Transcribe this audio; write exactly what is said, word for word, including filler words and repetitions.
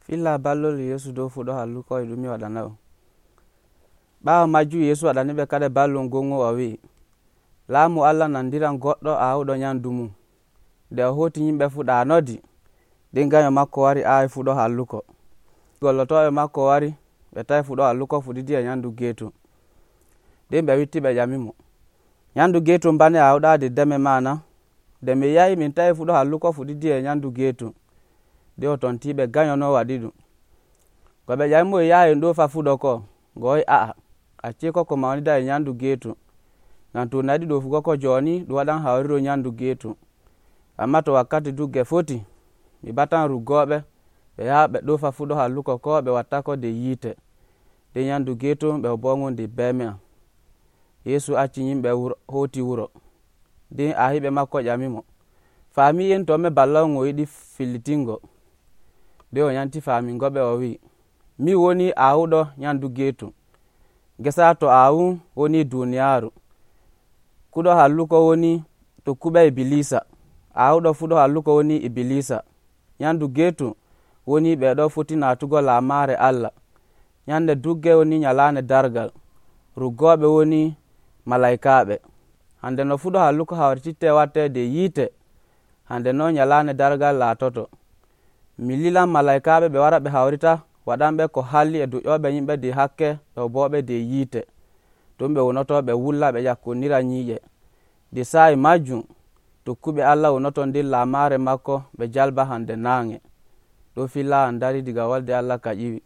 Filla ballol Yeesu dow fuɗɗo halluko e ɗum mi waɗana on. Ɓaawo majjum Yeesu waɗani ɓe kadi ballol ngon o wi'i, laamu Allah nandiran goɗɗo aawuɗo nyamdu mum. Nde o hoti yimɓe fuu ɗaanodi, nden ganyo makko wari aawi fuɗɗo halluko. Gollotooɓe makko wari ɓe tawi fuɗɗo halluko fuɗɗiti e nyamdu geetum. Nden ɓe witti ɓe ƴamimo, nyamdu geetum bane aawɗaa deddeme maana? Nde min yahi min tawi fuɗɗo halluko fuɗɗiti e nyamdu geetum. Nden o tontiɓe ganyo no waɗi ɗum. Ko ɓe ƴamimo e yaha en ɗofa fuɗɗo ko, ngo wi a'a acceko ko mawnida e nyamdu geetum. Ngam to naɗi ɗofugo ko jooni ɗum waɗan hawriro nyamdu geetum. Amma to wakkati dugge foti, mi batan ruggooɓe ɓe yaha ɓe ɗofa fuɗɗo halluko ko ɓe wattako nde yiite. Nden nyamdu geetum ɓe bongo nde beme am. Yeesu acci yimɓe hoti wuro. Nden ahiɓe makko ƴamimo, faamiyen to me balla on o yiɗi fillitingo? Nden o yanti faamingo ɓe o wi'i, min woni aawuɗo nyamdu geetum. Ngesa to aawum woni duuniyaaru. Kuɗo halluko woni tokkuɓe Ibilisa. Aawuɗo fuɗɗo halluko woni Ibilisa. Nyamdu geetum woni ɓeeɗo foti naatugo laamaare Allah. Nyande dugge woni nyalaande dargal. Ruggooɓe woni malaykaaɓe. Hande no fuɗɗo halluko hawrititte watte nde yiite, hande no nyalaande dargal laatoto. Mi lilan malaykaaɓe ɓe wara ɓe hawrita waɗanɓe ko halli e duƴƴooɓe yimɓe nde hakke ɓe booɓe nde yiite. Ton ɓe wonoto ɓe wulla ɓe ƴakkondira nyiiƴe. Nde saa'i majjum tokkuɓe Allah wonoto nder laamaare makko ɓe jalba hande naange. Ɗo filla an dari diga wolde Allah ka ƴiwi.